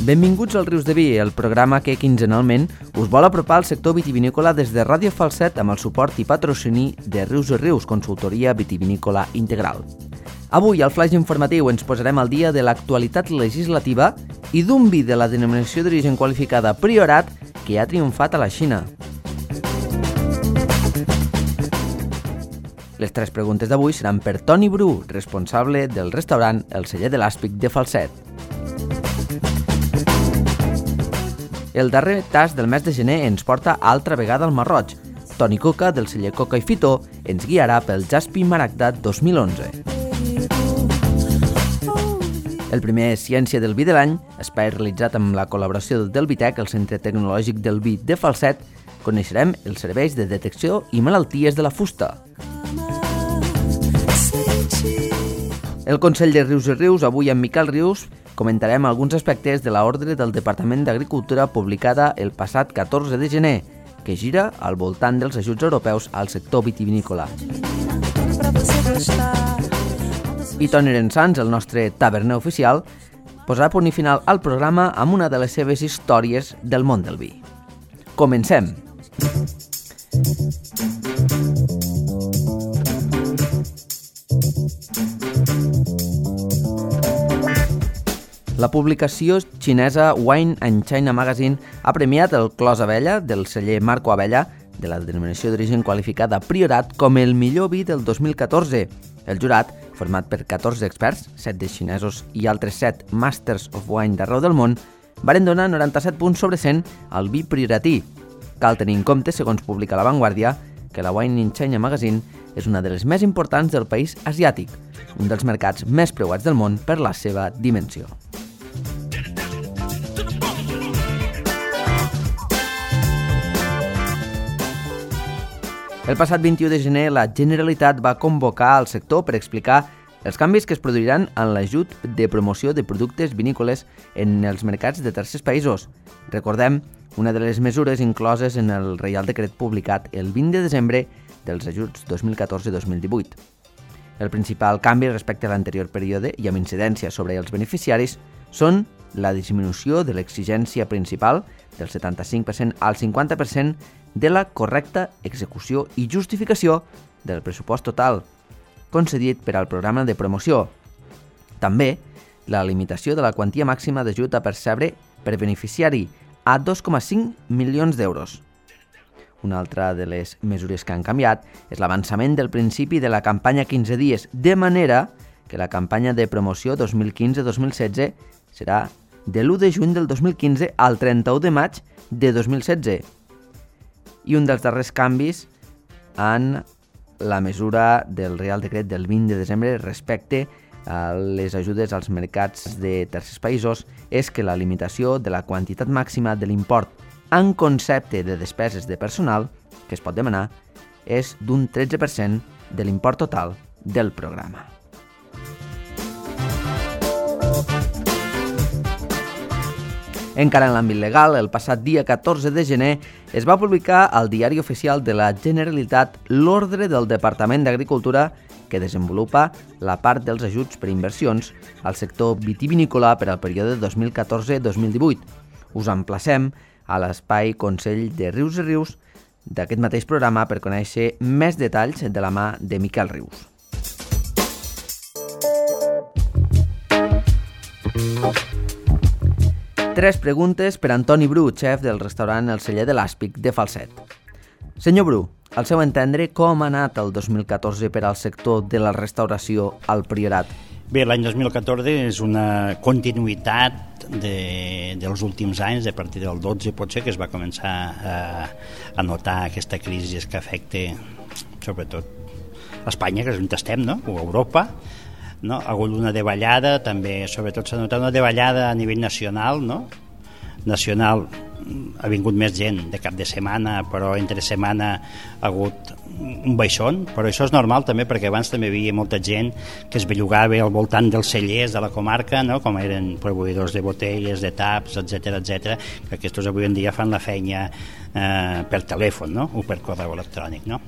Benvinguts al Rius de Vi, el programa que quinzenalment us vol apropar al sector vitivinícola des de Ràdio Falset amb el suport i patrocini de Rius i Rius, consultoria vitivinícola integral. Avui, al flash informatiu, ens posarem al dia de l'actualitat legislativa i d'un vi de la denominació d'origen qualificada Priorat que ha triomfat a la Xina. Les tres preguntes d'avui seran per Toni Bru, responsable del restaurant El Celler de l'Àspic de Falset. El darrer tast del mes de gener ens porta altra vegada al Marroig. Toni Coca, del celler Coca i Fitó, ens guiarà pel Jaspi Maragda 2011. El primer Ciència del Vi de l'any, espai realitzat amb la col·laboració del Vitec, el Centre Tecnològic del Vi de Falset, coneixerem els serveis de detecció i malalties de la fusta. El Consell de Rius i Rius, avui amb Miquel Rius, comentarem alguns aspectes de l'ordre del Departament d'Agricultura publicada el passat 14 de gener, que gira al voltant dels ajuts europeus al sector vitivinícola. I Toni Rensans, el nostre taverner oficial, posarà punt i final al programa amb una de les seves històries del món del vi. Comencem! La publicació xinesa Wine and China Magazine ha premiat el Clos Abella del celler Marco Abella, de la denominació d'origen qualificada Priorat, com el millor vi del 2014. El jurat, format per 14 experts, 7 de xinesos i altres 7 Masters of Wine d'arreu del món, varen donar 97 punts sobre 100 al vi prioratí. Cal tenir en compte, segons publica La Vanguardia, que la Wine and China Magazine és una de les més importants del país asiàtic, un dels mercats més preuats del món per la seva dimensió. El passat 21 de gener, la Generalitat va convocar al sector per explicar els canvis que es produiran en l'ajut de promoció de productes vinícoles en els mercats de tercers països. Recordem, una de les mesures incloses en el Reial Decret publicat el 20 de desembre dels ajuts 2014-2018. El principal canvi respecte a l'anterior període i amb incidència sobre els beneficiaris són la disminució de l'exigència principal del 75% al 50% de la correcta execució i justificació del pressupost total concedit per al programa de promoció. També la limitació de la quantia màxima d'ajut a percebre per beneficiari a 2,5 milions d'euros. Una altra de les mesures que han canviat és l'avançament del principi de la campanya 15 dies, de manera que la campanya de promoció 2015-2016 serà de l'1 de juny del 2015 al 31 de maig de 2016. I un dels darrers canvis en la mesura del Reial Decret del 20 de desembre respecte a les ajudes als mercats de tercers països és que la limitació de la quantitat màxima de l'import en concepte de despeses de personal que es pot demanar és d'un 13% de l'import total del programa. Encara en l'àmbit legal, el passat dia 14 de gener es va publicar al Diari Oficial de la Generalitat l'ordre del Departament d'Agricultura que desenvolupa la part dels ajuts per inversions al sector vitivinícola per al període 2014-2018. Us emplacem a l'espai Consell de Rius i Rius d'aquest mateix programa per conèixer més detalls de la mà de Miquel Rius. Tres preguntes per Toni Bru, xef del restaurant El Celler de l'Àspic de Falset. Senyor Bru, al seu entendre, com ha anat el 2014 per al sector de la restauració al Priorat? Bé, l'any 2014 és una continuïtat dels últims anys, a partir del 12 potser, que es va començar a notar aquesta crisi que afecta sobretot Espanya, que és on estem, no? O Europa. No? Ha hagut una davallada, també sobretot s'ha notat una davallada a nivell nacional, no? Nacional ha vingut més gent de cap de setmana, però entre setmana ha hagut un baixón, però això és normal també perquè abans també hi havia molta gent que es bellugava al voltant dels cellers de la comarca, no? Com eren proveïdors de botelles, de taps, etc, que aquests avui en dia fan la feina per telèfon, no? O per correu electrònic, no?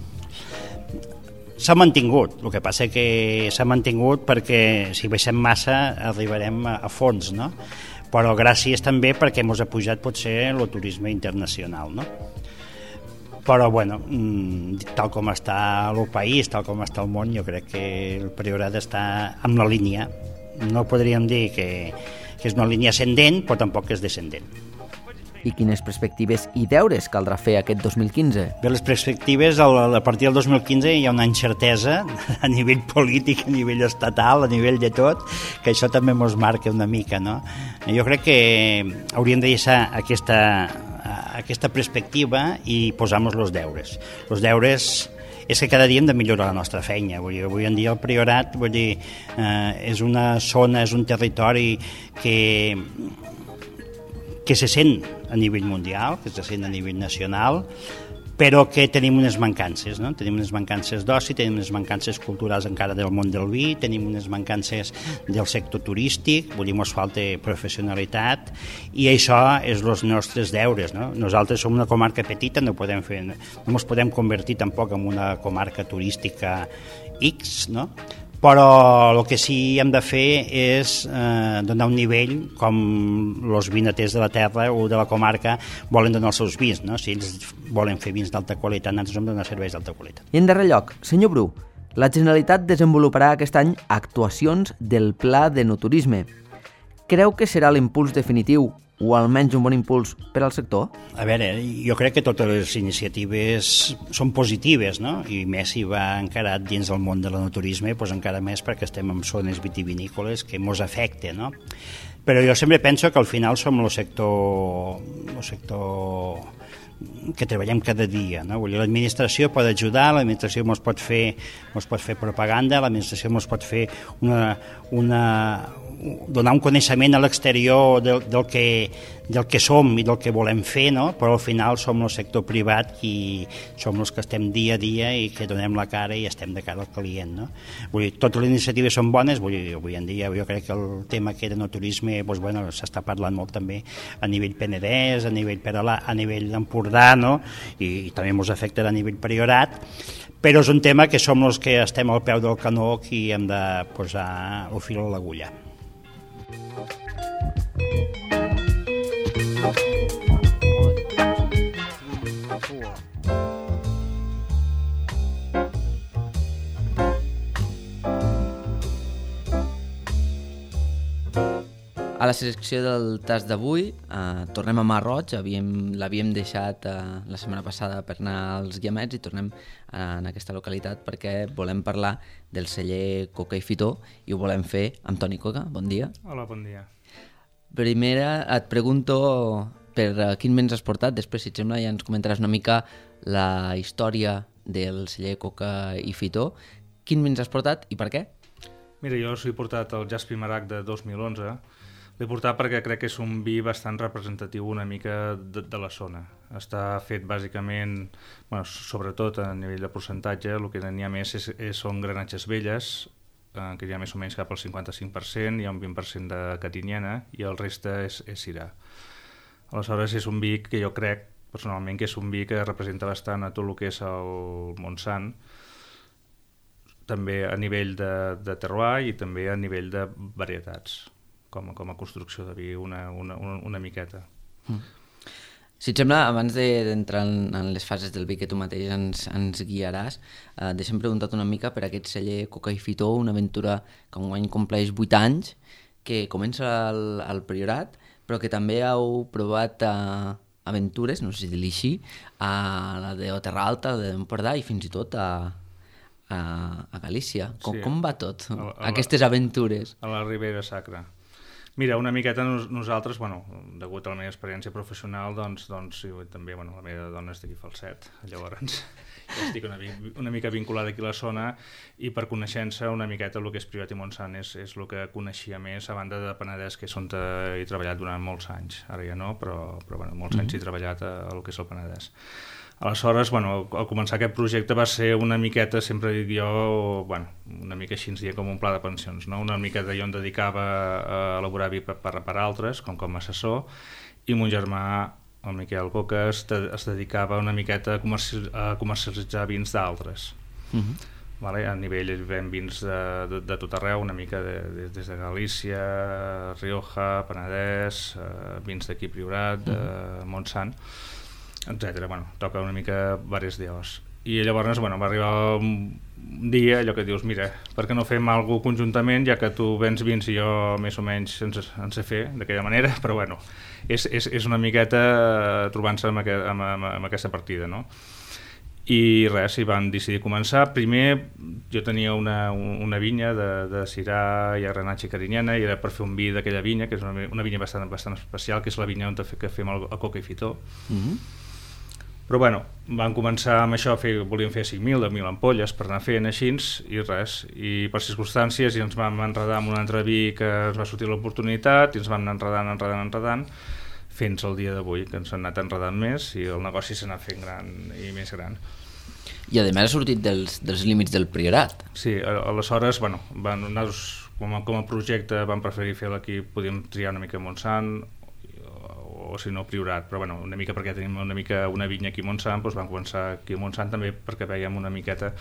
S'ha mantingut, el que passa que s'ha mantingut perquè si baixem massa arribarem a fons, no? però gràcies també perquè ens ha pujat potser el turisme internacional, no? Però, bueno, tal com està el país, tal com està el món, jo crec que el Priorat està en la línia. No podríem dir que és una línia ascendent, però tampoc és descendent. I quines perspectives i deures caldrà fer aquest 2015? Bé, les perspectives, a partir del 2015 hi ha una incertesa a nivell polític, a nivell estatal, a nivell de tot, que això també ens marca una mica, no? Jo crec que hauríem de deixar aquesta perspectiva i posar-nos els deures. Els deures és que cada dia hem de millorar la nostra feina. Avui en dia el Priorat és una zona, és un territori que se sent a nivell mundial, que se sent a nivell nacional, però que tenim unes mancances, no? Tenim unes mancances d'oci, tenim unes mancances culturals encara del món del vi, tenim unes mancances del sector turístic, ens falta professionalitat, i això és els nostres deures, no? Nosaltres som una comarca petita, no ens podem convertir tampoc en una comarca turística X, no? Però el que sí hem de fer és donar un nivell com els vinaters de la terra o de la comarca volen donar els seus vins, no? Si ells volen fer vins d'alta qualitat, nosaltres hem de donar serveis d'alta qualitat. I en darrer lloc, senyor Bru, la Generalitat desenvoluparà aquest any actuacions del Pla d'Enoturisme. Creu que serà l'impuls definitiu o almenys un bon impuls per al sector? A veure, jo crec que totes les iniciatives són positives, no? I més si va encarat dins del món de l'enoturisme, doncs encara més perquè estem en zones vitivinícoles que ens afecta, no? Però jo sempre penso que al final som el sector que treballem cada dia, no? Vull dir, l'administració pot ajudar, l'administració ens pot fer propaganda, l'administració ens pot fer donar un coneixement a l'exterior del que som i del que volem fer, no? Però al final som el sector privat i som els que estem dia a dia i que donem la cara i estem de cara al client, no? Vull dir, totes les iniciatives són bones, avui en dia jo crec que el tema que era no turisme s'està parlant molt també a nivell Penedès, a nivell Peralà, a nivell Empordà, no? I també ens afectarà a nivell Priorat, però és un tema que som els que estem al peu del canó i hem de posar el fil a l'agulla. A la secció del tas d'avui tornem a Mar Roig, l'havíem deixat la setmana passada per anar als Guiamets i tornem en aquesta localitat perquè volem parlar del celler Coca i Fitó i ho volem fer amb Toni Coca. Bon dia. Hola, bon dia. Primera et pregunto per quin vins has portat, després si et sembla ja ens comentaràs una mica la història del celler Coca i Fitó. Quin vins has portat i per què? Mira, jo us he portat el Jaspi Marac de 2011. L'he portat perquè crec que és un vi bastant representatiu una mica de la zona. Està fet bàsicament, sobretot a nivell de percentatge, el que n'hi ha més són granatges velles, que hi ha més o menys cap al 55%, hi ha un 20% de catinyena i el reste és cirà. Aleshores és un vi que jo crec personalment que és un vi que representa bastant a tot el que és el Montsant, també a nivell de terroir i també a nivell de varietats, com a construcció de vi una miqueta. Si et sembla, abans d'entrar en les fases del vi que tu mateix ens guiaràs, deixa'm preguntar una mica per aquest celler Coca i Fitó, una aventura que enguany compleix 8 anys, que comença al Priorat, però que també heu provat aventures, no sé si dir-li així, a la de Terra Alta, a la d'Empordà i fins i tot a Galícia. Com va tot, aquestes aventures? A la Ribera Sacra. Mira, una miqueta nosaltres, degut a la meva experiència professional, doncs també la meva dona és d'aquí Falset, llavors ja estic una mica vinculada aquí a la zona i per coneixença una miqueta el que és Priorat i Montsant és el que coneixia més, a banda de Penedès, que és on he treballat durant molts anys, ara ja no, però molts anys he treballat al que és el Penedès. Aleshores, al començar aquest projecte va ser una miqueta, sempre dic jo, una mica així ens deia com un pla de pensions, no? Una miqueta jo em dedicava a elaborar vi per altres, com a assessor, i mon germà, el Miquel Coca, es dedicava una miqueta a comercialitzar vins d'altres. Vale? A nivell ven vins de tot arreu, una mica des de Galícia, Rioja, Penedès, vins d'aquí Priorat, Montsant, etc. Bueno, toca una mica diversos dies. I llavors va arribar un dia allò que dius, mira, per què no fem alguna cosa conjuntament, ja que tu vens vins i jo més o menys en sé fer d'aquella manera, però bueno, és una miqueta trobant-se amb aquesta partida, no? I res, hi van decidir començar. Primer jo tenia una vinya de Syrah i Grenache i Carinyena, i era per fer un vi d'aquella vinya, que és una vinya bastant especial, que és la vinya on fem el Coca i Fitó. Però bueno, van començar amb això, volíem fer 5.000, 10.000 ampolles per anar fent així, i res, i per circumstàncies i ens vam enredar amb un altre vi que ens va sortir l'oportunitat i ens vam anar enredant fins al dia d'avui, que ens han anat enredant més i el negoci s'ha anat fent gran i més gran. I a més ha sortit dels límits del Priorat. Sí, aleshores, bueno, com a projecte vam preferir fer-lo aquí, podíem triar una mica Montsant o si no Priorat, però bueno, una mica perquè tenim una vinya aquí a Montsant, doncs vam començar aquí a Montsant també perquè veiem una miqueta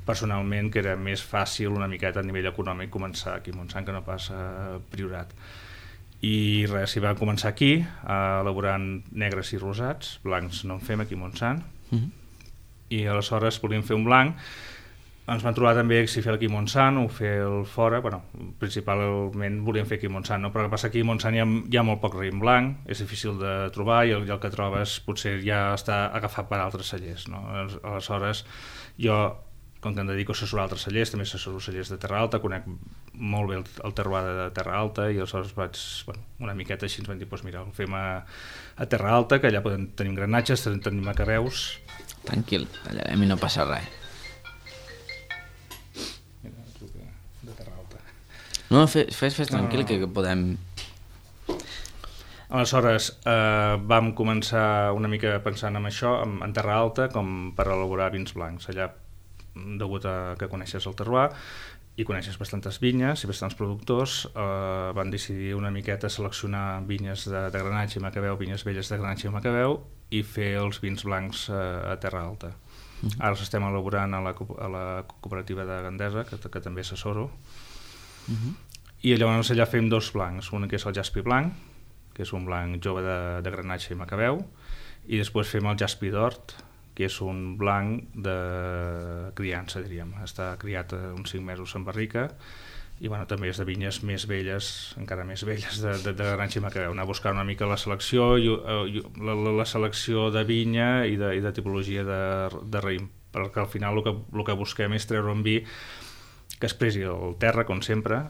personalment que era més fàcil una miqueta a nivell econòmic començar aquí a Montsant que no pas a Priorat. I res, hi vam començar aquí elaborant negres i rosats, blancs no en fem aquí a Montsant, i aleshores volíem fer un blanc. Ens van trobar també si fer aquí a Montsant o fer el fora, bueno, principalment volíem fer aquí a Montsant, no? Però el que passa aquí a Montsant hi ha molt poc raïm blanc, és difícil de trobar i el que trobes potser ja està agafat per altres cellers, no? Aleshores jo, com que em dedico a assessorar altres cellers, també assessoro cellers de Terra Alta, conec molt bé el terroir de Terra Alta i aleshores vaig, una miqueta així ens van dir, doncs mira, ho fem a Terra Alta, que allà tenim granatges, tenim macareus. Tranquil, allà a mi no passa res. De Terra Alta. No, fes tranquil, que podem... Aleshores vam començar una mica pensant en això, en Terra Alta, com per elaborar vins blancs. Allà, degut a que coneixes el terroir i coneixes bastantes vinyes i bastants productors, van decidir una miqueta seleccionar vinyes de Grenache i Macabeu, vinyes velles de Grenache i Macabeu, i fer els vins blancs a Terra Alta. Ara els estem elaborant a la cooperativa de Gandesa, que també assessoro, i llavors allà fem dos blancs, un que és el Jaspi blanc, que és un blanc jove de Grenache i Macabeu, i després fem el Jaspi d'Hort, que és un blanc de criança, diríem. Està criat uns 5 mesos en barrica i bueno, també és de vinyes més velles, encara més velles, de Grenache i Macabeu. Anar a buscar una mica la selecció, la selecció de vinya i de tipologia de raïm, perquè al final el que busquem és treure un vi que expressi el terra, com sempre,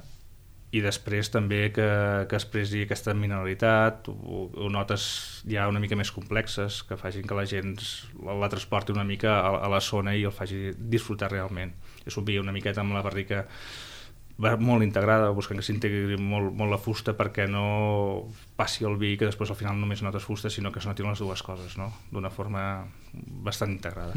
i després també que expressi aquesta mineralitat o notes ja una mica més complexes que facin que la gent la transporti una mica a la zona i el faci disfrutar realment. És un vi una miqueta amb la barrica molt integrada, buscant que s'integri molt la fusta perquè no passi el vi que després al final només notes fusta, sinó que es notin les dues coses, no? D'una forma bastant integrada.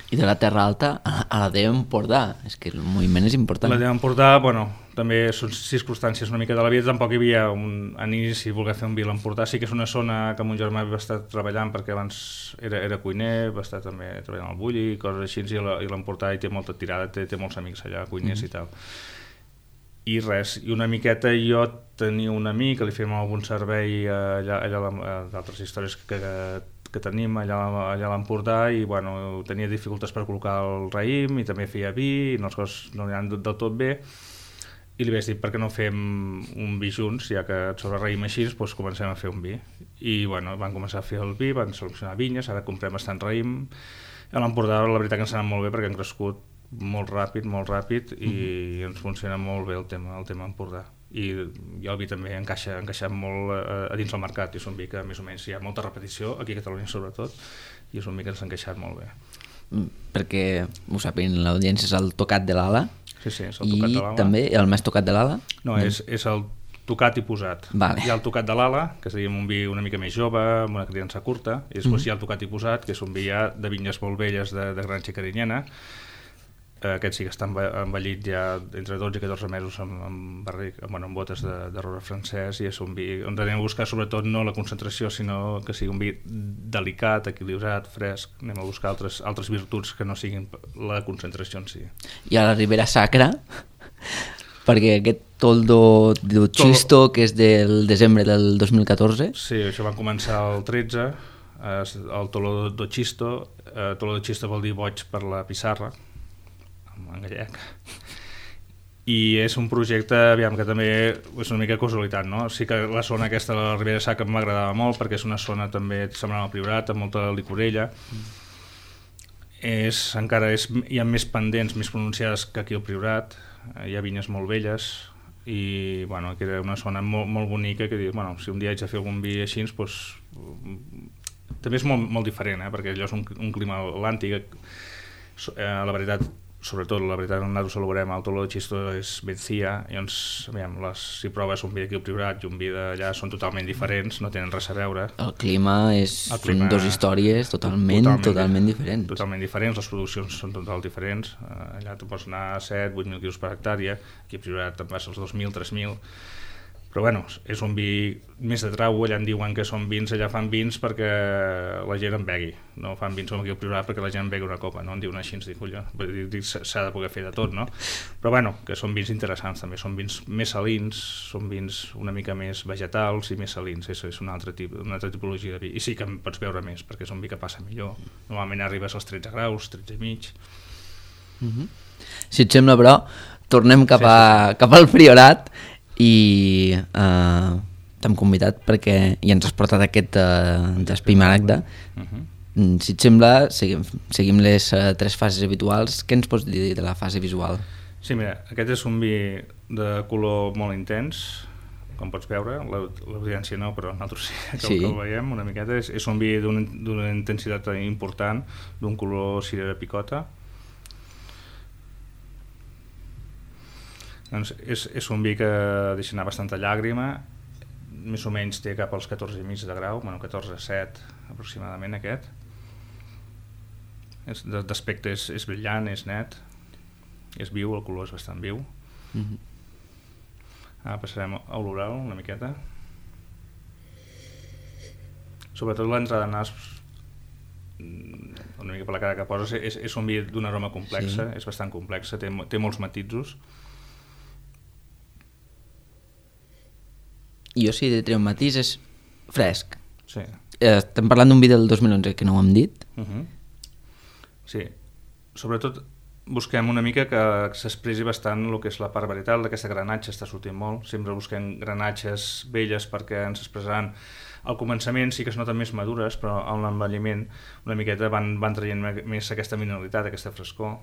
I de la Terra Alta a la d'Empordà, és que el moviment és important. La d'Empordà, bueno, també són circumstàncies una mica de la vida, tampoc hi havia en inici voler fer un vi a l'Empordà, sí que és una zona que mon germà va estar treballant perquè abans era cuiner, va estar també treballant al Bulli i coses així, i l'Empordà hi té molta tirada, té molts amics allà, cuiners i tal. I res, i una miqueta jo tenia un amic que li fèiem algun servei allà d'altres històries que tenim allà a l'Empordà i bueno, tenia dificultats per col·locar el raïm i també feia vi i les coses no anaven del tot bé i li vaig dir per què no fem un vi junts, ja que sobre raïm així doncs comencem a fer un vi i bueno, van començar a fer el vi, van seleccionar vinyes, ara comprem bastant raïm. A l'Empordà la veritat que ens ha anat molt bé perquè han crescut molt ràpid i ens funciona molt bé el tema Empordà i el vi també ha encaixat molt a dins el mercat i és un vi que més o menys hi ha molta repetició aquí a Catalunya sobretot i és un vi que ens ha encaixat molt bé. Perquè ho sàpiguen l'audiència, és el tocat de l'ala. Sí, és el tocat de l'ala. I també el més tocat de l'ala? No, és el tocat i posat. Vale. Hi ha el tocat de l'ala, que seria un vi una mica més jove, amb una criança curta, i després hi ha el tocat i posat, que és un vi ja de vinyes molt velles de Grenache i Carinyena, Aquest sí que està envellit ja entre 12 i 14 mesos amb botes de roure francès, i és un vi on anem a buscar sobretot no la concentració, sinó que sigui un vi delicat, equilibrat, fresc. Anem a buscar altres virtuts que no siguin la concentració en si. I a la Ribera Sacra, perquè aquest Toldo de Chisto, que és del desembre del 2014... Sí, això va començar el 13, el Toldo de Chisto. Toldo de Chisto vol dir boig per la pissarra, en gallec, i és un projecte, aviam, que també és una mica casualitat, no? Sí que la zona aquesta de la Ribera Sacra m'agradava molt perquè és una zona també semblant al Priorat, amb molta licorella. Hi ha més pendents, més pronunciades que aquí al Priorat, hi ha vinyes molt velles, i bueno, que era una zona molt, molt bonica, que dius, bueno, si un dia haig de fer algun vi així, doncs, també és molt, molt diferent, perquè allò és un clima atlàntic. La veritat, sobretot la veritat, nosaltres celebrem el Toldo de Chisto és Mencía, i llavors, aviam, si proves un vi d'aquí al Priorat i un vi d'allà són totalment diferents, no tenen res a veure. El clima són dues històries totalment diferents. Totalment diferents, les produccions són totalment diferents. Allà tu pots anar a 7-8.000 quilos per hectàrea, aquí al Priorat te'n vas als 2.000, 3.000, però bueno, és un vi més de trau. Allà en diuen que són vins, allà fan vins perquè la gent en begui, no fan vins com aquí al Priorat perquè la gent en begui una copa, no en diuen així, ens dic, s'ha de poder fer de tot, no? Però bueno, que són vins interessants també, són vins més salins, són vins una mica més vegetals i més salins, és una altra tipologia de vi, i sí que en pots veure més perquè és un vi que passa millor, normalment arribes als 13 graus, 13 i mig. Si et sembla, però, tornem cap al Priorat, i t'hem convidat perquè ja ens has portat aquest d'Espimaragda. Si et sembla, seguim les 3 fases habituals. Què ens pots dir de la fase visual? Sí, mira, aquest és un vi de color molt intens, com pots veure, l'audiència no, però nosaltres sí que el veiem una miqueta. És un vi d'una intensitat important, d'un color cirera picota. Doncs és un vi que deixa anar bastanta llàgrima, més o menys té cap als 14,5 de grau, 14,7 aproximadament aquest. D'aspecte és brillant, és net, és viu, el color és bastant viu. Ara passarem a l'oral una miqueta. Sobretot l'entrada de nas, una mica per la cara que poses, és un vi d'un aroma complexa, és bastant complexa, té molts matisos. Jo sí, de treure un matís és fresc. Sí. Estem parlant d'un vi del 2011 que no ho hem dit. Sí, sobretot busquem una mica que s'expressi bastant el que és la part varietal, d'aquesta granatge està sortint molt, sempre busquem granatges velles perquè ens expressaran. Al començament sí que es noten més madures, però en l'envelliment una miqueta van traient més aquesta mineralitat, aquesta frescor.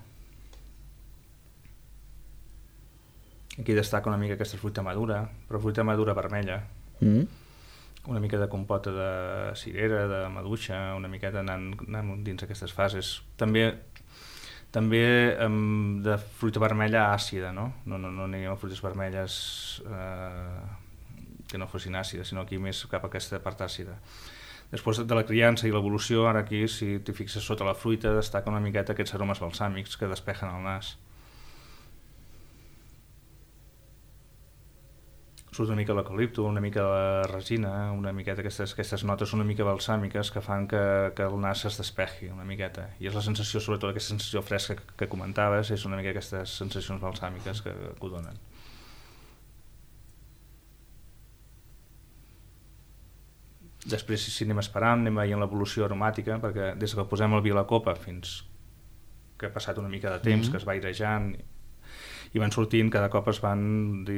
Aquí destaca una mica aquesta fruita madura, però fruita madura vermella. Una mica de compota de cirera, de maduixa, una miqueta anant dins aquestes fases. També de fruita vermella àcida, no? No anem a fruites vermelles que no fossin àcides, sinó aquí més cap a aquesta part àcida. Després de la criança i l'evolució, ara aquí, si t'hi fixes sota la fruita, destaca una miqueta aquests aromes balsàmics que despejen el nas. Surt una mica l'eucalipto, una mica la resina, una miqueta aquestes notes una mica balsàmiques que fan que el nas es despeji una miqueta. I és la sensació, sobretot aquesta sensació fresca que comentaves, és una mica aquestes sensacions balsàmiques que ho donen. Després, si anem esperant, anem veient l'evolució aromàtica, perquè des que posem el vi a la copa fins que ha passat una mica de temps, que es va airejant, i van sortint, cada cop es van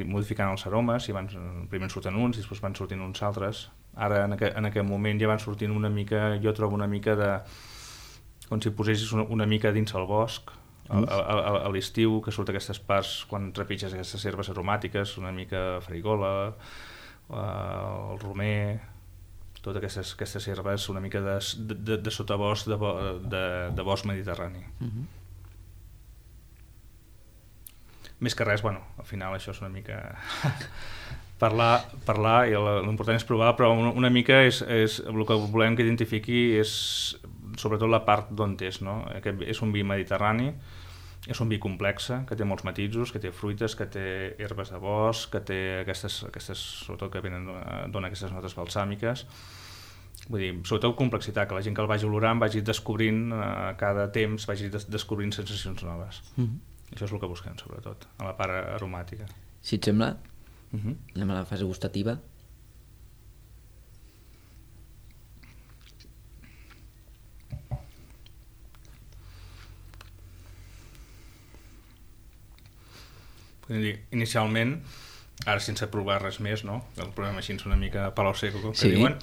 modificant els aromes, i primer en surten uns i després van sortint uns altres. Ara en aquest moment ja van sortint una mica, jo trobo una mica de, com si posessis una mica dins el bosc, a l'estiu, que surt aquestes parts quan trepitges aquestes herbes aromàtiques, una mica farigola, el romer, totes aquestes herbes una mica de sotabosc de bosc mediterrani. Més que res, al final això és una mica parlar i l'important és provar, però una mica és el que volem que identifiqui és sobretot la part d'on és, no? És un vi mediterrani, És un vi complex, que té molts matisos, que té fruites, que té herbes de bosc, que té aquestes sobretot que dona aquestes notes balsàmiques. Vull dir, sobretot complexitat, que la gent que el vagi olorant vagi descobrint cada temps, vagi descobrint sensacions noves. Això és el que busquem, sobretot, a la part aromàtica. Si et sembla, anem a la fase gustativa. Inicialment, ara sense provar res més, no? El problema així és una mica palo seco, com que diuen.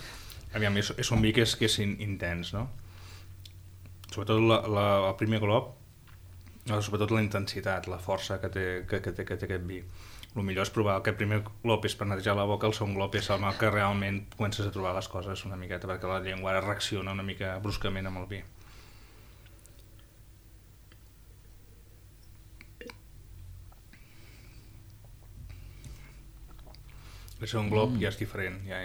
Aviam, és un vi que és intens, no? Sobretot el primer glop, sobretot la intensitat, la força que té aquest vi. El millor és provar aquest primer glop és per netejar la boca, el segon glop és el que realment comences a trobar les coses una miqueta, perquè la llengua ara reacciona una mica bruscament amb el vi. El segon glop ja és diferent, ja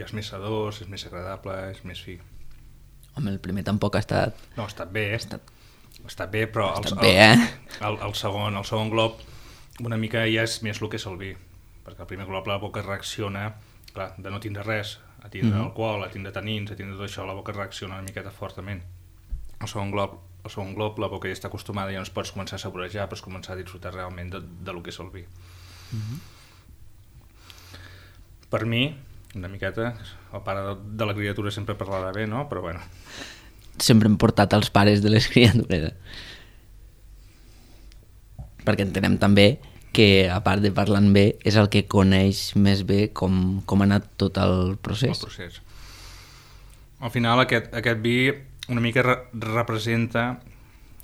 és més sedós, és més agradable, és més fi. Home, el primer tampoc ha estat... No, ha estat bé, però el segon glop una mica ja és més el que és el vi, perquè el primer glop la boca reacciona, clar, de no tindre res, a tindre alcohol, a tindre tanins, a tindre tot això, la boca reacciona una miqueta fortament. El segon glop la boca ja està acostumada, ja no es pots començar a saborejar, pots començar a disfrutar realment de lo que és el vi. Per mi, una miqueta, el pare de la criatura sempre parlarà bé, no? Però bueno. Sempre hem portat els pares de les criatures. Perquè entenem també que, a part de parlant bé, és el que coneix més bé com ha anat tot el procés. El procés. Al final, aquest vi una mica representa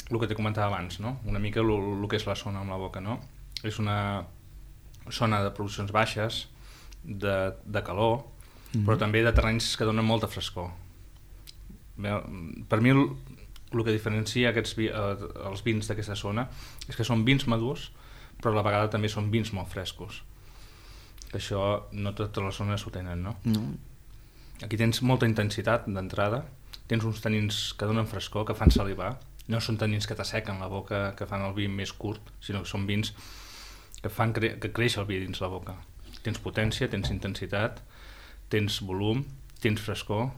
el que t'he comentat abans, no? Una mica el que és la zona amb la boca, no? És una zona de produccions baixes, de calor, però també de terrenys que donen molta frescor. Per mi el que diferencia els vins d'aquesta zona és que són vins madurs, però a la vegada també són vins molt frescos. Que això no totes les zones ho tenen, no? Aquí tens molta intensitat d'entrada, tens uns tanins que donen frescor, que fan salivar, no són tanins que t'assequen la boca, que fan el vi més curt, sinó que són vins que fan que creix el vi dins la boca. Tens potència, tens intensitat, tens volum, tens frescor.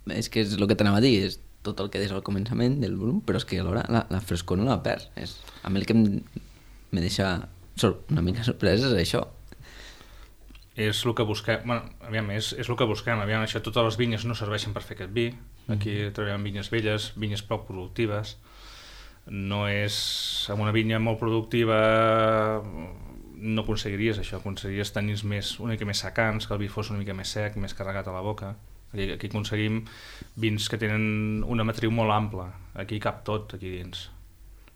És que és el que t'anava a dir, és tot el que deies al començament del volum, però és que alhora la frescor no la perds. A mi el que me deixa una mica sorpresa és això. És el que busquem, és el que busquem. Això, totes les vinyes no serveixen per fer aquest vi. Aquí treballem vinyes velles, vinyes poc productives. No és... Amb una vinya molt productiva no aconseguiries això, aconseguiries tanins una mica més secants, que el vi fos una mica més sec, més carregat a la boca. Aquí aconseguim vins que tenen una matriu molt ampla, aquí cap tot aquí dins.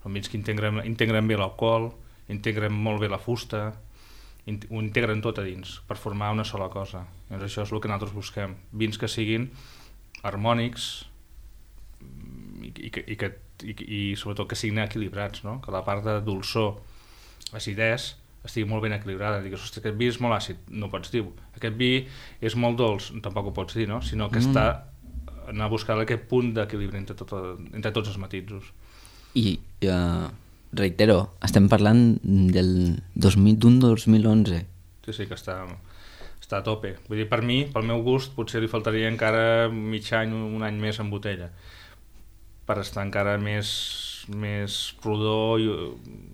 Són vins que integren bé l'alcohol, integren molt bé la fusta, ho integren tot a dins per formar una sola cosa. Llavors això és el que nosaltres busquem, vins que siguin harmònics i sobretot que siguin equilibrats, no? Que la part de dolçor, acidès, estigui molt ben equilibrada. Digues, ostres, aquest vi és molt àcid, no pots dir. Aquest vi és molt dolç, tampoc ho pots dir, no? Sinó que està anar a buscar aquest punt d'equilibri entre tots els matisos. I reitero, estem parlant del 2011. Sí, que està a tope. Vull dir, per mi, pel meu gust, potser li faltaria encara mig any, un any més en botella, per estar encara més rodó i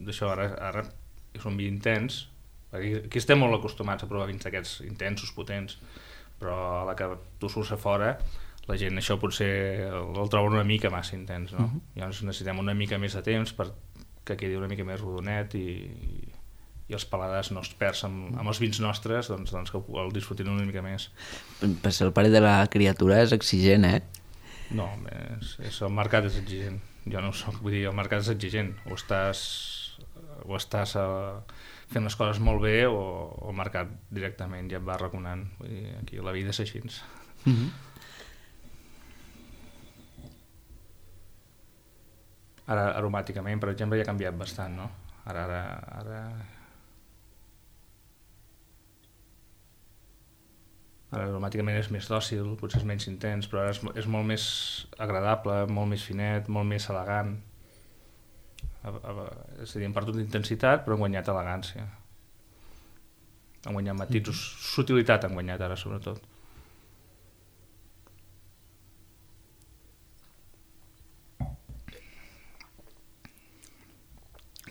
d'això. Ara és un vi intens, perquè aquí estem molt acostumats a provar vins d'aquests intensos, potents, però a la que tu surts a fora, la gent això potser el troba una mica massa intens, no? Llavors necessitem una mica més de temps perquè quedi una mica més rodonet i els paladars no es perden amb els vins nostres, doncs que el disfrutin una mica més. Per ser el pare de la criatura és exigent, eh? No, el mercat és exigent. Jo no ho soc, vull dir, el mercat és exigent. O estàs fent les coses molt bé o el mercat directament ja et va arraconant. Vull dir, aquí la vida és així. Ara aromàticament, per exemple, ja ha canviat bastant, no? Ara aromàticament és més dòcil, potser és menys intens, però ara és molt més agradable, molt més finet, molt més elegant. És a dir, han perdut intensitat, però han guanyat elegància. Han guanyat matisos, sutilitat han guanyat ara, sobretot.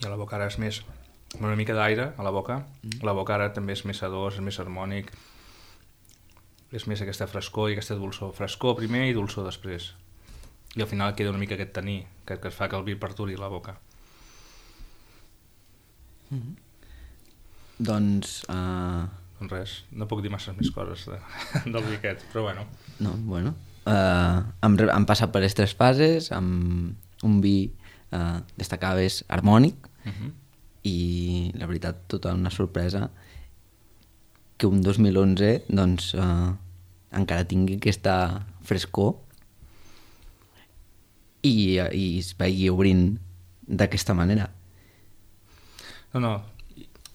I a la boca ara és més... una mica d'aire a la boca. La boca ara també és més sedós, és més harmònic. És més aquesta frescor i aquesta dolçor. Frescor primer i dolçor després. I al final queda una mica aquest taní que es fa que el vi perduri la boca. Doncs... Doncs res, no puc dir massa més coses del vi aquest, però bueno. No, bueno. Han passat per les 3 fases, amb un vi destacaves harmònic, i la veritat tota una sorpresa que un 2011 doncs encara tingui aquesta frescor i es vegi obrint d'aquesta manera. No,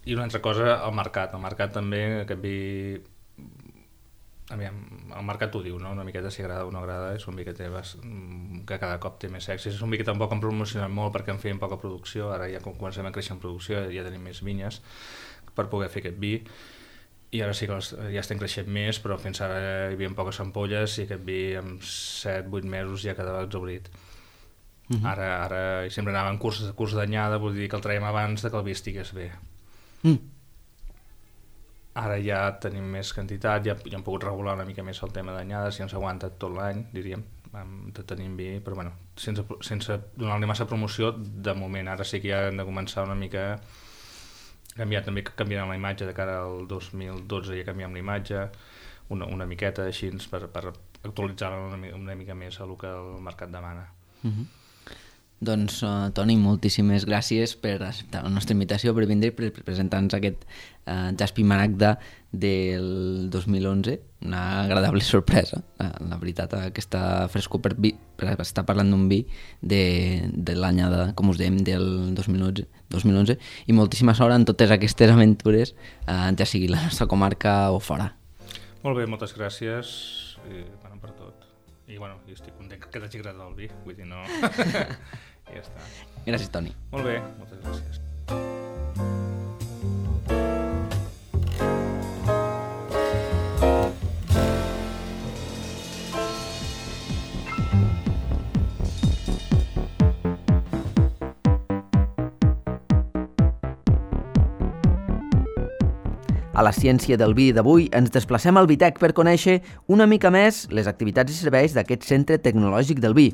i una altra cosa, el mercat també, aquest vi... Aviam, el mercat ho diu, no? Una miqueta si agrada o no agrada, és un vi que que cada cop té més èxit. És un vi que tampoc han promocionat molt perquè en feien poca producció, ara ja com comencem a créixer en producció ja tenim més vinyes per poder fer aquest vi, i ara sí que ja estem creixent més, però fins ara hi havia poques ampolles i aquest vi en 7-8 mesos ja quedava exhaurit. Ara sempre anava en curs d'anyada, vull dir que el traiem abans de que el vi estigués bé. Ara ja tenim més quantitat, ja hem pogut regular una mica més el tema d'anyades, ja ens aguanta tot l'any, diríem, de tenir vi, però bueno, sense donar-li massa promoció de moment. Ara sí que ja hem de començar una mica a canviar, també canviant la imatge de cara al 2012, ja canviem la imatge una miqueta així per actualitzar-la una mica més a el que el mercat demana. Doncs, Toni, moltíssimes gràcies per acceptar la nostra invitació, per vindre i per presentar-nos aquest Jaspi Maragda del 2011. Una agradable sorpresa, la veritat, aquesta frescor per estar parlant d'un vi de l'anyada, com us dèiem, del 2011, i moltíssima sort en totes aquestes aventures, ja sigui la nostra comarca o fora. Molt bé, moltes gràcies per tot. I bueno, jo estic content que t'hagi agradat el vi, vull dir, no... I ja està. Gràcies, Toni. Molt bé, moltes gràcies. A la ciència del vi d'avui ens desplacem al Vitec per conèixer una mica més les activitats i serveis d'aquest centre tecnològic del vi.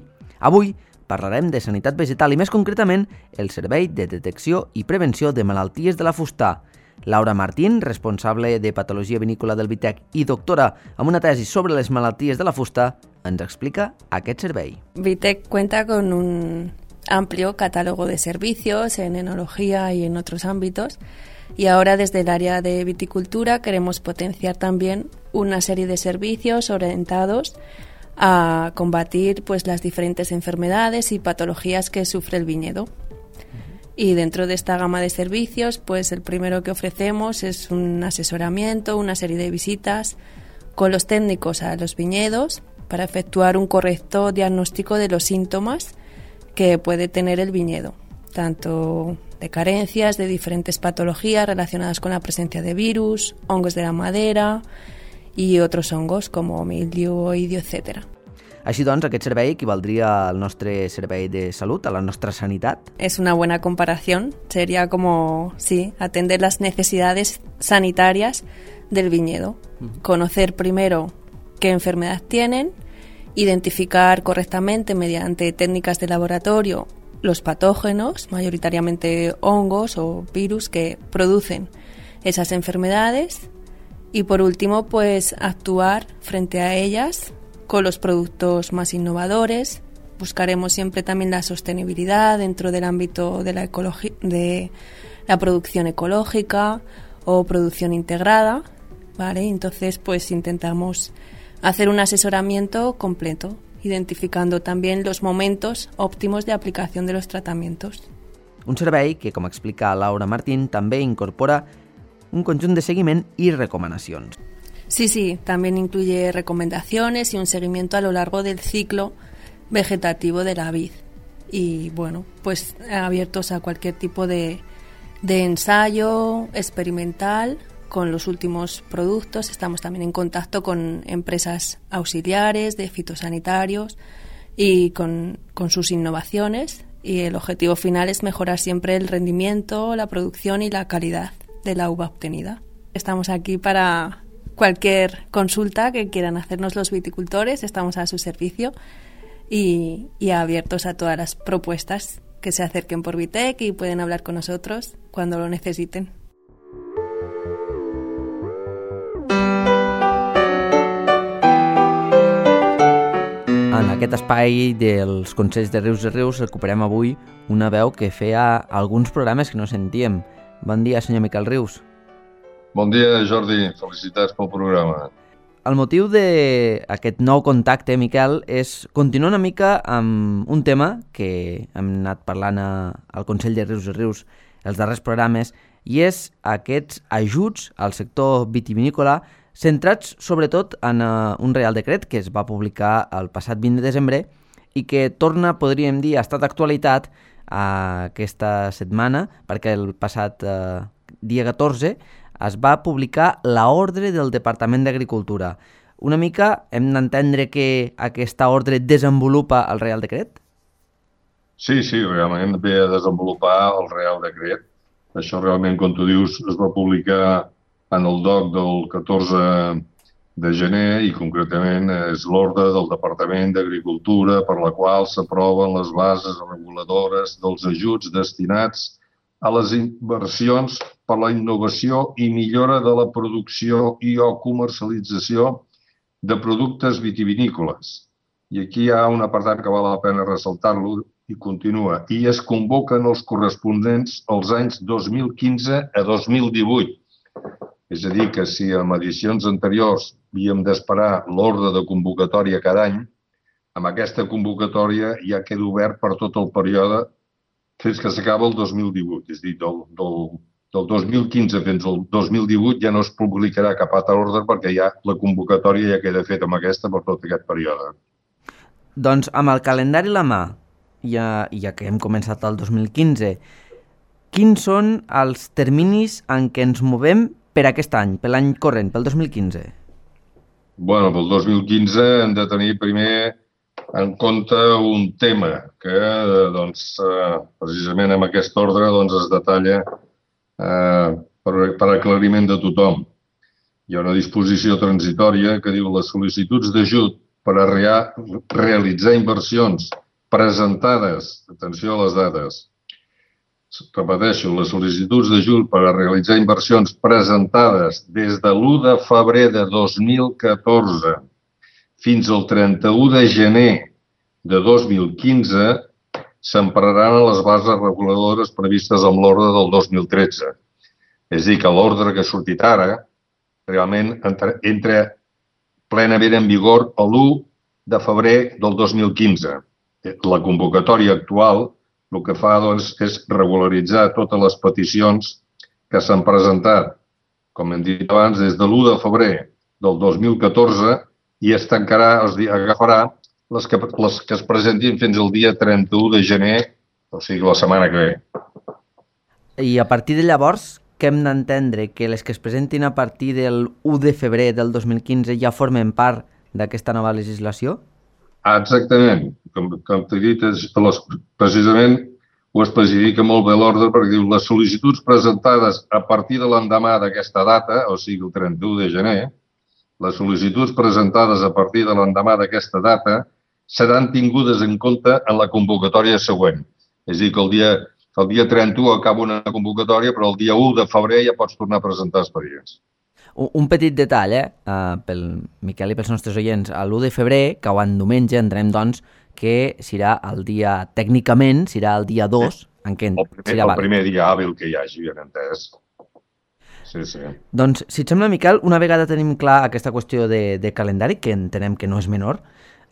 Avui parlarem de sanitat vegetal i més concretament el servei de detecció i prevenció de malalties de la fusta. Laura Martín, responsable de patologia vinícola del Vitec i doctora amb una tesi sobre les malalties de la fusta, ens explica aquest servei. Vitec cuenta con un amplio catálogo de servicios en enología y en otros ámbitos. Y ahora desde el área de viticultura queremos potenciar también una serie de servicios orientados a combatir pues las diferentes enfermedades y patologías que sufre el viñedo. Y dentro de esta gama de servicios, pues el primero que ofrecemos es un asesoramiento, una serie de visitas con los técnicos a los viñedos para efectuar un correcto diagnóstico de los síntomas que puede tener el viñedo, tanto de carencias, de diferentes patologías relacionadas con la presencia de virus, hongos de la madera y otros hongos como mildiu, oidio, etc. Així doncs, aquest servei equivaldria al nostre servei de salut, a la nostra sanitat? Es una buena comparación. Sería como, sí, atender las necesidades sanitarias del viñedo. Conocer primero qué enfermedad tienen, identificar correctamente mediante técnicas de laboratorio los patógenos, mayoritariamente hongos o virus que producen esas enfermedades, y por último pues actuar frente a ellas con los productos más innovadores. Buscaremos siempre también la sostenibilidad dentro del ámbito de la producción ecológica o producción integrada, ¿vale? Entonces pues intentamos hacer un asesoramiento completo, identificando también los momentos óptimos de aplicación de los tratamientos. Un servei que, com explica Laura Martín, també incorpora un conjunt de seguiment i recomanacions. Sí, también incluye recomendaciones y un seguimiento a lo largo del ciclo vegetativo de la vid. y bueno, pues abiertos a cualquier tipo de ensayo experimental con los últimos productos. Estamos también en contacto con empresas auxiliares de fitosanitarios y con sus innovaciones, y el objetivo final es mejorar siempre el rendimiento, la producción y la calidad de la uva obtenida. Estamos aquí para cualquier consulta que quieran hacernos los viticultores, estamos a su servicio y abiertos a todas las propuestas que se acerquen por Vitec, y pueden hablar con nosotros cuando lo necesiten. En aquest espai dels Consells de Rius i Rius recuperem avui una veu que feia alguns programes que no sentíem. Bon dia, senyor Miquel Rius. Bon dia, Jordi. Felicitats pel programa. El motiu d'aquest nou contacte, Miquel, és continuar una mica amb un tema que hem anat parlant al Consell de Rius i Rius els darrers programes, i és aquests ajuts al sector vitivinícola centrats sobretot en un Reial Decret que es va publicar el passat 20 de desembre i que torna, podríem dir, ha estat d'actualitat aquesta setmana, perquè el passat dia 14 es va publicar l'ordre del Departament d'Agricultura. Una mica hem d'entendre que aquesta ordre desenvolupa el Reial Decret? Sí, realment ve a desenvolupar el Reial Decret. Això realment, com tu dius, es va publicar en el DOC del 14 de gener i concretament és l'ordre del Departament d'Agricultura per la qual s'aproven les bases reguladores dels ajuts destinats a les inversions per la innovació i millora de la producció i o comercialització de productes vitivinícoles. I aquí hi ha un apartat que val la pena ressaltar-lo i continua. I es convoquen els corresponents als anys 2015 a 2018. És a dir, que si en edicions anteriors havíem d'esperar l'ordre de convocatòria cada any, amb aquesta convocatòria ja queda obert per tot el període fins que s'acaba el 2018. És a dir, del 2015 fins al 2018 ja no es publicarà cap altre ordre perquè ja la convocatòria ja queda feta amb aquesta per tot aquest període. Doncs amb el calendari a la mà, ja que hem començat el 2015, quins són els terminis en què ens movem per aquest any, per l'any corrent, pel 2015? Bueno, pel 2015 hem de tenir primer en compte un tema que, doncs, precisament amb aquest ordre es detalla per aclariment de tothom. Hi ha una disposició transitòria que diu les sol·licituds d'ajut per a realitzar inversions presentades, atenció a les dates, repeteixo, les sol·licituds d'ajut per a realitzar inversions presentades des de l'1 de febrer de 2014 fins al 31 de gener de 2015 s'empararan a les bases reguladores previstes amb l'ordre del 2013. És a dir, que l'ordre que ha sortit ara realment entra plenament en vigor l'1 de febrer del 2015. La convocatòria actual el que fa és regularitzar totes les peticions que s'han presentat, com hem dit abans, des de l'1 de febrer del 2014 i es tancarà, agafarà les que es presentin fins al dia 31 de gener, o sigui, la setmana que ve. I a partir de llavors, què hem d'entendre? Que les que es presentin a partir del 1 de febrer del 2015 ja formen part d'aquesta nova legislació? Exactament. Com t'he dit, precisament ho especifica molt bé l'ordre perquè diu les sol·licituds presentades a partir de l'endemà d'aquesta data, o sigui, el 31 de gener, les sol·licituds presentades a partir de l'endemà d'aquesta data seran tingudes en compte en la convocatòria següent. És a dir, que el dia 31 acaba una convocatòria, però el dia 1 de febrer ja pots tornar a presentar expedients. Un petit detall, pel Miquel i pels nostres oients. L'1 de febrer, cau en diumenge, entenem, doncs, que serà el dia, tècnicament, serà el dia 2, en què serà el primer dia hàbil que hi hagi, ben entès. Sí. Doncs, si et sembla, Miquel, una vegada tenim clar aquesta qüestió de calendari, que entenem que no és menor,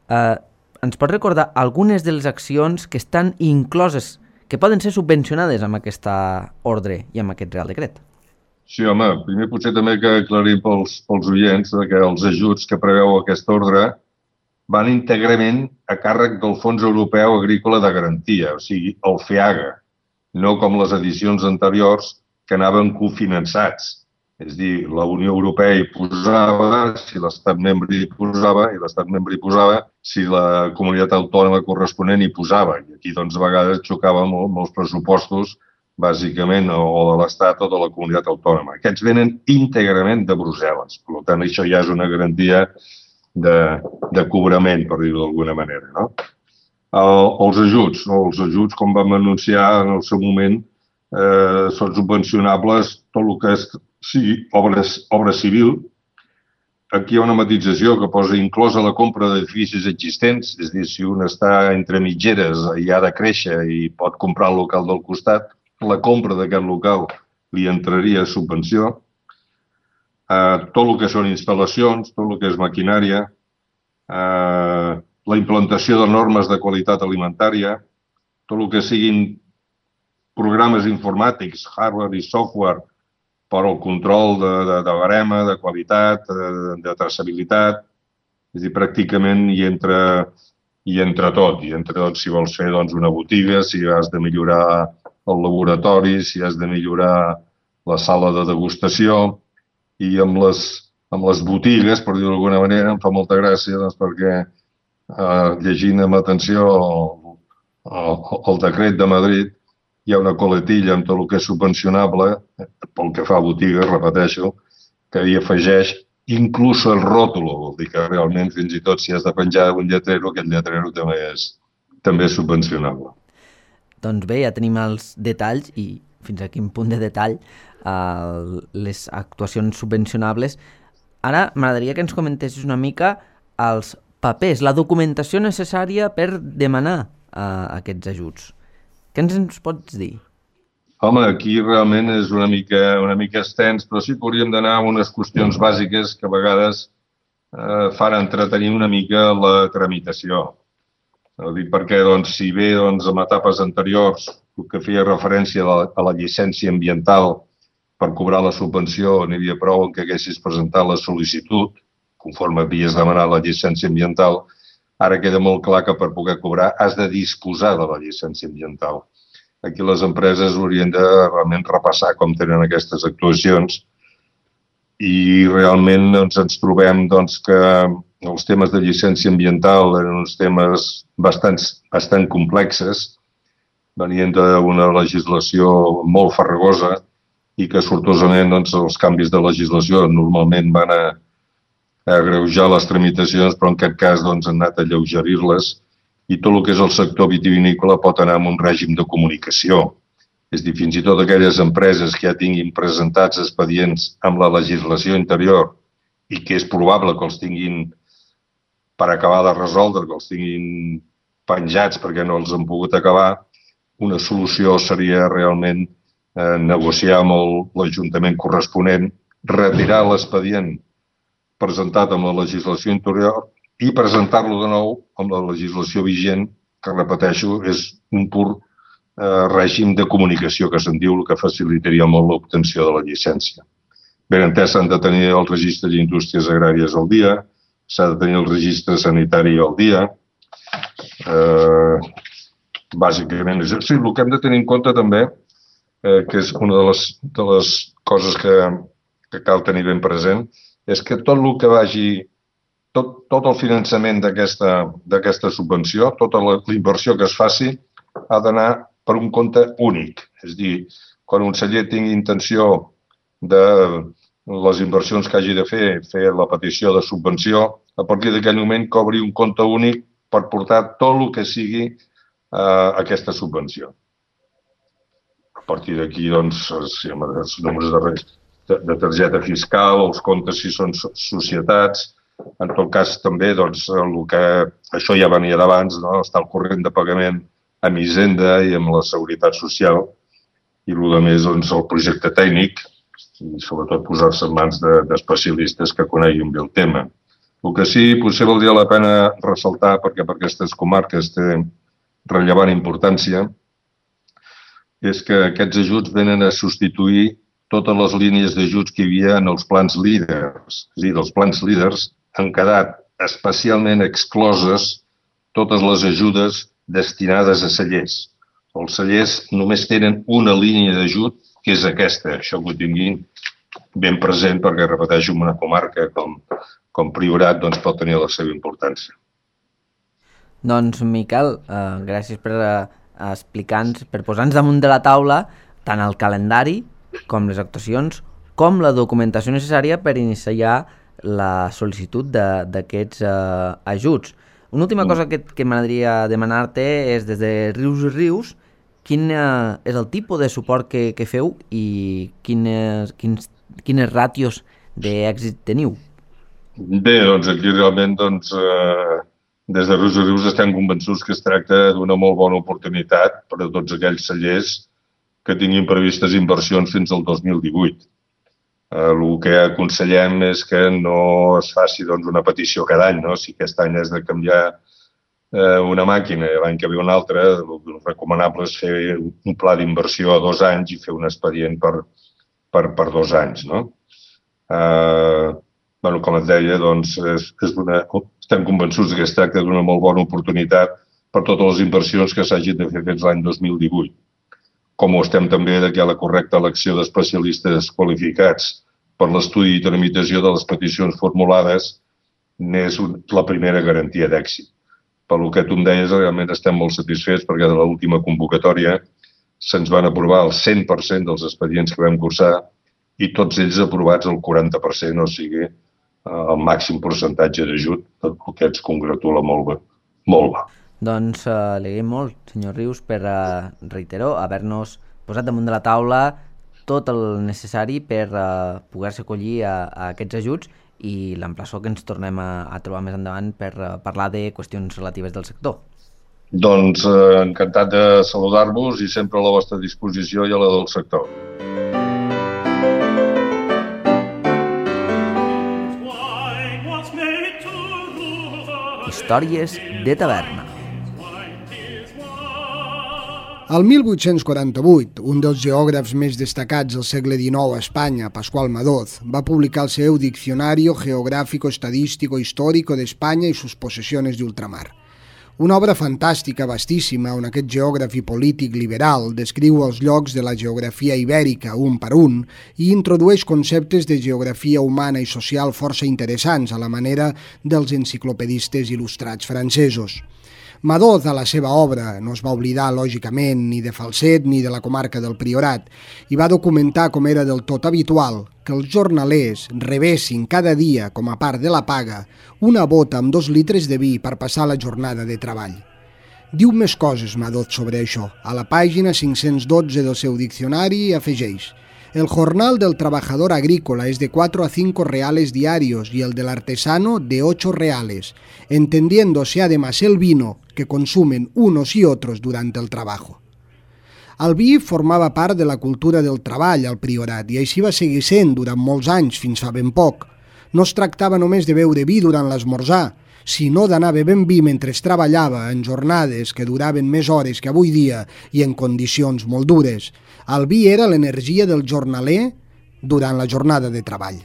ens pots recordar algunes de les accions que estan incloses, que poden ser subvencionades amb aquesta ordre i amb aquest Real Decret? Sí, home, primer potser també que aclarir pels oients que els ajuts que preveu aquest ordre van íntegrament a càrrec del Fons Europeu Agrícola de Garantia, o sigui, el FEAGA, no com les edicions anteriors que anaven cofinançats. És a dir, la Unió Europea hi posava, si l'Estat membre hi posava, i l'Estat membre hi posava, si la comunitat autònoma corresponent hi posava. I aquí, doncs, a vegades xocava molts pressupostos, bàsicament, o de l'Estat o de la comunitat autònoma. Aquests venen íntegrament de Brussel·les. Per tant, això ja és una garantia de cobrament, per dir-ho d'alguna manera, no? Els ajuts, com vam anunciar en el seu moment, són subvencionables tot el que sigui obra civil. Aquí hi ha una matització que posa inclosa la compra d'edificis existents, és a dir, si un està entre mitgeres i ha de créixer i pot comprar el local del costat, la compra d'aquest local li entraria a subvenció. Tot el que són instal·lacions, tot el que és maquinària, la implantació de normes de qualitat alimentària, tot el que siguin programes informàtics, hardware i software, per al control de barema, de qualitat, de traçabilitat. És a dir, pràcticament hi entra tot. Hi entra tot si vols fer una botiga, si has de millorar el laboratori, si has de millorar la sala de degustació. I amb les botigues, per dir-ho d'alguna manera, em fa molta gràcia perquè llegint amb atenció el decret de Madrid, hi ha una coletilla amb tot el que és subvencionable, pel que fa a botigues, repeteixo, que hi afegeix inclús el rótulo, vol dir que realment fins i tot si has de penjar un lletrero, aquest lletrero també és subvencionable. Doncs bé, ja tenim els detalls i fins a quin punt de detall les actuacions subvencionables. Ara m'agradaria que ens comentessis una mica els papers, la documentació necessària per demanar aquests ajuts. Què ens pots dir? Home, aquí realment és una mica extens, però sí que hauríem d'anar a unes qüestions bàsiques que a vegades fan entretenir una mica la tramitació. Ho dic perquè, si bé en etapes anteriors el que feia referència a la llicència ambiental per cobrar la subvenció n'hi havia prou en que haguessis presentat la sol·licitud, conforme havies demanat la llicència ambiental, ara queda molt clar que per poder cobrar has de disposar de la llicència ambiental. Aquí les empreses haurien de realment repassar com tenen aquestes actuacions i realment ens trobem que els temes de llicència ambiental eren uns temes bastant complexes, venien d'una legislació molt farragosa i que sortosament els canvis de legislació normalment van a agreujar les tramitacions, però en aquest cas han anat a alleugerir-les i tot el que és el sector vitivinícola pot anar amb un règim de comunicació. És a dir, fins i tot aquelles empreses que ja tinguin presentats expedients amb la legislació interior i que és probable que els tinguin per acabar de resoldre, que els tinguin penjats perquè no els han pogut acabar, una solució seria realment negociar amb l'Ajuntament corresponent, retirar l'expedient presentat amb la legislació interior i presentar-lo de nou amb la legislació vigent, que, repeteixo, és un pur règim de comunicació, que se'n diu, el que facilitaria molt l'obtenció de la llicència. Ben entès, s'han de tenir el registre d'indústries agràries al dia, s'ha de tenir el registre sanitari al dia. Bàsicament, és així. El que hem de tenir en compte també, que és una de les coses que cal tenir ben present, és que tot el que vagi, tot el finançament d'aquesta subvenció, tota la inversió que es faci, ha d'anar per un compte únic. És a dir, quan un celler tingui intenció de les inversions que hagi de fer la petició de subvenció, a partir d'aquell moment que obri un compte únic per portar tot el que sigui aquesta subvenció. A partir d'aquí, els números de targeta fiscal, els comptes si són societats, en tot cas també, això ja venia d'abans, estar al corrent de pagament amb Hisenda i amb la Seguretat Social i el més, el projecte tècnic i sobretot posar-se en mans d'especialistes que coneguin bé el tema. El que sí, potser valdria la pena ressaltar, perquè per aquestes comarques té rellevant importància, és que aquests ajuts venen a substituir totes les línies d'ajuts que hi havia en els plans líders. És a dir, els plans líders han quedat especialment excloses totes les ajudes destinades a cellers. Els cellers només tenen una línia d'ajut, que és aquesta. Això que ho tinguin ben present perquè, repeteixo, una comarca com Priorat doncs, pot tenir la seva importància. Doncs, Miquel, gràcies per explicar-nos, per posar-nos damunt de la taula tant el calendari com les actuacions, com la documentació necessària per iniciar la sol·licitud d'aquests ajuts. Una última cosa que m'agradaria demanar-te és, des de Rius i Rius, quin és el tipus de suport que feu i quines ràtios d'èxit teniu? Bé, doncs aquí realment des de Rius i Rius estem convençuts que es tracta d'una molt bona oportunitat per a tots aquells cellers que tinguin previstes inversions fins al 2018. El que aconsellem és que no es faci una petició cada any. Si aquest any has de canviar una màquina i l'any que ve una altra, el recomanable és fer un pla d'inversió a 2 anys i fer un expedient per 2 anys. Com et deia, estem convençuts que es tracta d'una molt bona oportunitat per totes les inversions que s'hagin de fer fins l'any 2018. Com ho estem també que la correcta elecció d'especialistes qualificats per l'estudi i tramitació de les peticions formulades n'és la primera garantia d'èxit. Pel que tu em deies, realment estem molt satisfets perquè de l'última convocatòria se'ns van aprovar el 100% dels expedients que vam cursar i tots ells aprovats el 40%, o sigui, el màxim percentatge d'ajut, el que ens congratula molt bé. Molt bé. Doncs li agraïm molt, senyor Rius, per, reitero, haver-nos posat damunt de la taula tot el necessari per poder-se acollir a aquests ajuts i l'emplaçó que ens tornem a trobar més endavant per parlar de qüestions relatives del sector. Doncs encantat de saludar-vos i sempre a la vostra disposició i a la del sector. Històries de taverna. El 1848, un dels geògrafs més destacats del segle XIX a Espanya, Pascual Madoz, va publicar el seu Diccionario Geográfico Estadístico Histórico de España y sus posesiones de ultramar. Una obra fantàstica, vastíssima, on aquest geògraf i polític liberal descriu els llocs de la geografia ibèrica un per un i introdueix conceptes de geografia humana i social força interessants a la manera dels enciclopedistes il·lustrats francesos. Madoz, a la seva obra, no es va oblidar, lògicament, ni de Falset ni de la comarca del Priorat, i va documentar com era del tot habitual que els jornalers rebessin cada dia, com a part de la paga, una bota amb 2 litres de vi per passar la jornada de treball. Diu més coses, Madoz, sobre això. A la pàgina 512 del seu diccionari afegeix: el jornal del trabajador agrícola es de 4 a 5 reales diarios y el del artesano de 8 reales, entendiéndose además el vino que consumen unos y otros durante el trabajo. El vi formava part de la cultura del treball al Priorat i així va seguir sent durant molts anys, fins fa ben poc. No es tractava només de beure vi durant l'esmorzar, sinó d'anar bevent vi mentre es treballava en jornades que duraven més hores que avui dia i en condicions molt dures. El vi era l'energia del jornaler durant la jornada de treball.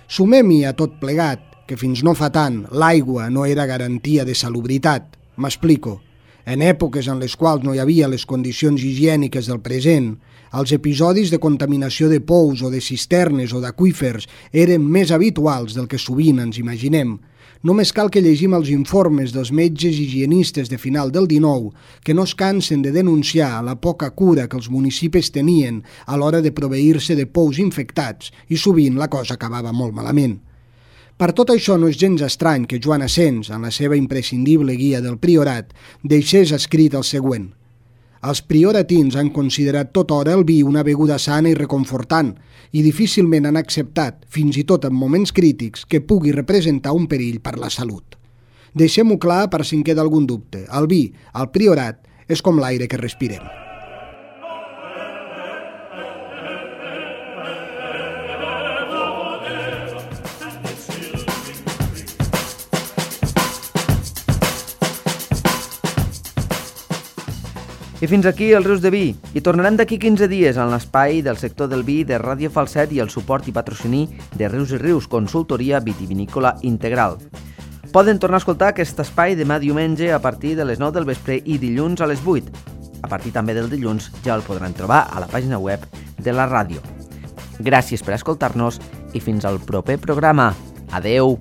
Sumem-hi a tot plegat que fins no fa tant l'aigua no era garantia de salubritat. M'explico. En èpoques en les quals no hi havia les condicions higièniques del present, els episodis de contaminació de pous o de cisternes o d'aqüífers eren més habituals del que sovint ens imaginem. Només cal que llegim els informes dels metges higienistes de final del XIX que no es cansen de denunciar la poca cura que els municipis tenien a l'hora de proveir-se de pous infectats i sovint la cosa acabava molt malament. Per tot això no és gens estrany que Joan Asens, en la seva imprescindible guia del Priorat, deixés escrit el següent: els prioratins han considerat tota hora el vi una beguda sana i reconfortant i difícilment han acceptat, fins i tot en moments crítics, que pugui representar un perill per la salut. Deixem-ho clar per si en queda algun dubte. El vi, al Priorat, és com l'aire que respirem. I fins aquí els Rius de Vi. I tornarem d'aquí 15 dies en l'espai del sector del vi de Ràdio Falset i el suport i patrocini de Rius i Rius, consultoria vitivinícola integral. Poden tornar a escoltar aquest espai demà diumenge a partir de les 9 del vespre i dilluns a les 8. A partir també del dilluns ja el podran trobar a la pàgina web de la ràdio. Gràcies per escoltar-nos i fins al proper programa. Adeu!